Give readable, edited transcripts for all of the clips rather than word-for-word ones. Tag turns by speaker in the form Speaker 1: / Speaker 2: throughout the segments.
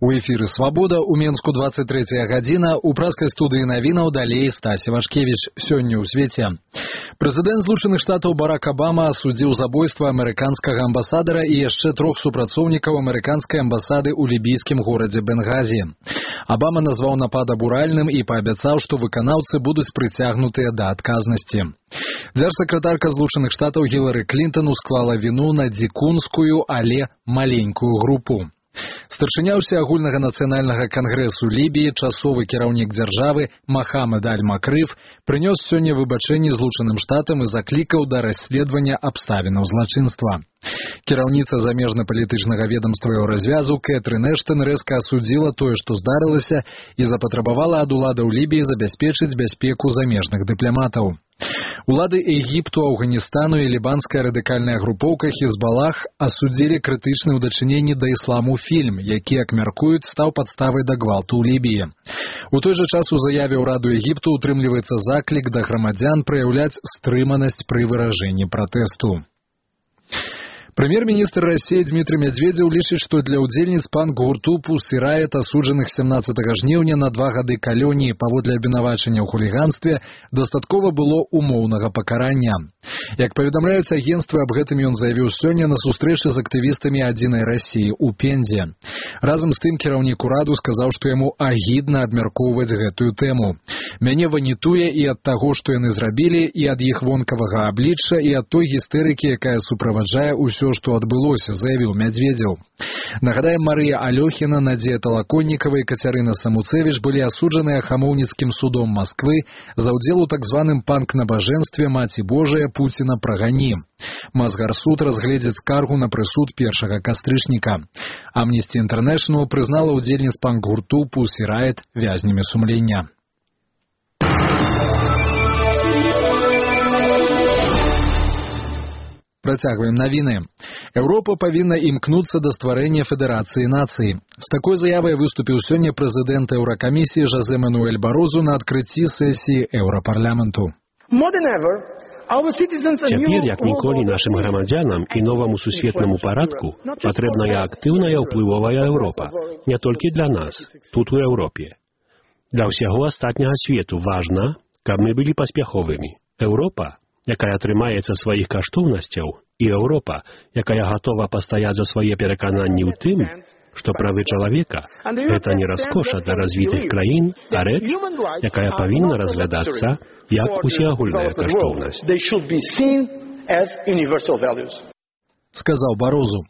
Speaker 1: У эфіры «Свабода» у Менску 23 гадзіна, у праскай студыі навінаў далей Стась Івашкевіч. Сёння ў свеце. Прэзідэнт Злучаных Штатаў Барак Абама асудзіў забойства амерыканскага амбасадара і яшчэ 3 супрацоўнікаў амерыканскай амбасады ў лібійскім горадзе Бенгазі. Абама назваў напад абуральным і паабяцаў, што выканаўцы будуць прыцягнутыя да адказнасці. Дзяржсакратарка Злучаных Штатаў Гілары Клінтон усклала віну на дзікунскую, але маленькую групу. Старшыня ўсеагульнага нацыянальнага кангрэсу Лібіі, часовы кіраўнік дзяржавы Махамед Аль-Макрыф прынёс сёння выбачэнні Злучаным Штатам і заклікаў да расследавання абставінаў злачынства. Кіраўніца замежна-палітычнага ведамства Еўразвязу Кэтрын Эштон рэзка асудзіла тое, што здарылася, і запатрабавала ад уладаў Лібіі забяспечыць бяспеку замежных дыпламатаў. Улады Егіпту, Афганістану і лібанская радыкальная групоўка Хізбалах асудзілі крытычны ў дачыненні да ісламу фільм, які, як мяркуюць, стаў падставай да гвалту ў Лібіі. У той жа час у заяве ўраду Егіпту утрымліваецца заклік да грамадзян праяўляць стрыманасць пры выражэнні пратэсту. Прэм'ер-міністр Расіі Дмітрый Медведзеў лічыць, што для ўдзельніц панк-гурту «Pussy Riot», асуджаных 17 жніўня на 2 гады калоніі паводле абвінавачання ў хуліганстве, дастаткова было умоўнага пакарання. Як паведамляюць агенцтвы, аб гэтым ён заявіў сёння на сустрэчы з актывістамі «Адзінай Расіі» у Пензе. Разам з тым кіраўнік ураду сказаў, што яму агідна абмяркоўваць гэтую тэму. «Мяне ванітуе і ад таго, што яны зрабілі, і ад іх вонкавага аблічча, і ад той гістэрыкі, якая суправаджае ўсё, што адбылося», заявіў Медведзеў. Нагадаем, Марыя Алёхіна, Надзея Талаконнікава і Кацярына Самуцевіч былі асуджаныя Хамоўніцкім судом Масквы за ўдзел у так званым панк-набажэнстве «Маці Божая, Пуціна прагані». Мазгарсуд разгледзіць скаргу на прысуд 1 кастрычніка. Amnesty International прызнала ўдзельніц панк-гурту «Pussy Riot» вязнямі сумлення. Працягваем навіны. Еўропа павінна імкнуцца да стварэння федэрацыі нацый. З такой заявай выступіў сёння прэзідэнт Еўракамісіі Жозе Мануэль Барозу на адкрыцці сесіі Еўрапарламенту.
Speaker 2: Цяпер, як ніколі, нашым грамадзянам і новаму сусветнаму парадку патрэбная актыўная ўплывовая Еўропа. Не толькі для нас, тут у Еўропе. Для ўсяго астатняга свету важна, каб мы былі паспяховымі. Еўропа, якая трымаецца сваіх каштоўнасцяў, і Еўропа, якая гатова пастаяць за свае перакананні ў тым, што правы чалавека – гэта не раскоша для развітых краін, а рэч, якая павінна разглядацца як усеагульная каштоўнасць.
Speaker 1: Сказаў Барозу.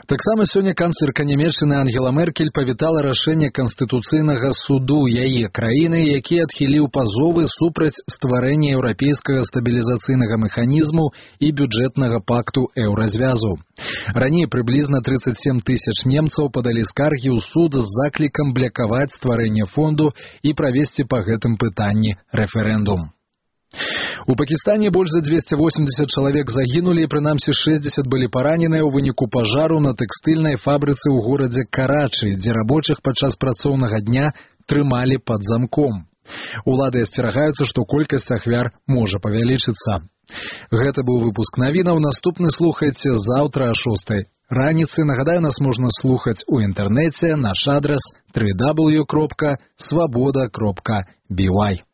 Speaker 1: Таксама сёння канцлерка Нямецчыны Ангела Меркель павітала рашэнне Канстытуцыйнага суду яе краіны, які адхіліў пазовы супраць стварэння еўрапейскага стабілізацыйнага механізму і бюджэтнага пакту Еўразвязу. Раней прыблізна 37 000 немцаў падалі скаргі ў суд з заклікам блякаваць стварэнне фонду і правесці па гэтым пытанні рэферэндум. У Пакістане больш за 280 чалавек загінулі і прынамсі 60 былі параненыя ў выніку пажару на тэкстыльнай фабрыцы ў горадзе Карачы, дзе рабочых падчас працоўнага дня трымалі пад замком. Улады асцерагаюцца, што колькасць ахвяр можа павялічыцца. Гэта быў выпуск навінаў. Наступны слухайце заўтра о 6 раніцы. Нагадаю, нас можна слухаць у інтэрнэце. Наш адрас www.swaboda.by.